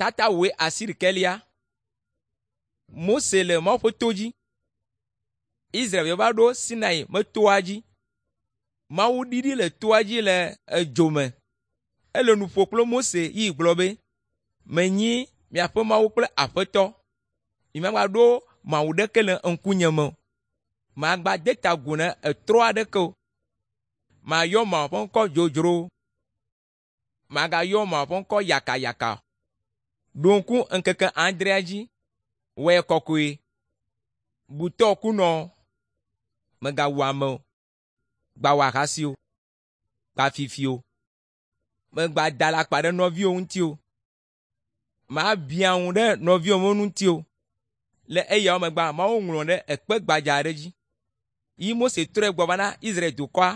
Tata wòe asiɖekelia. Mose le Mawu ƒe to dzi. Israelviwo va ɖo Sinai metoa dzi. Mawu ɖiɖi le toa dzi le edzo me. Ele nu ƒo kple Mose yi gblɔ be, “Menyi miaƒe Mawu kple Aƒetɔ. Nyemagaɖo mawu ɖeke le ŋkunye me o. Magbade ta agu na etrɔ aɖeke o. Mayɔ Mawu ƒe ŋkɔ dzodzro o. Magayɔ Mawu ƒe ŋkɔ yakayaka o. Ɖo ŋku ŋkeke adrea dzi, wɔe kɔkɔe. Bu tɔ kunɔ, mègawu ame o, gbawɔ ahasi o, gba fifi o, mègada alakpa ɖe nɔviwò ŋuti o, màbiã ŋu ɖe nɔviwò ŋuti o. Le eyawo megbea, Mawu ŋlɔ ɖe ekpe gbadza aɖe dzi. Yi Mose trɔe gbɔ va na Israel dukɔa.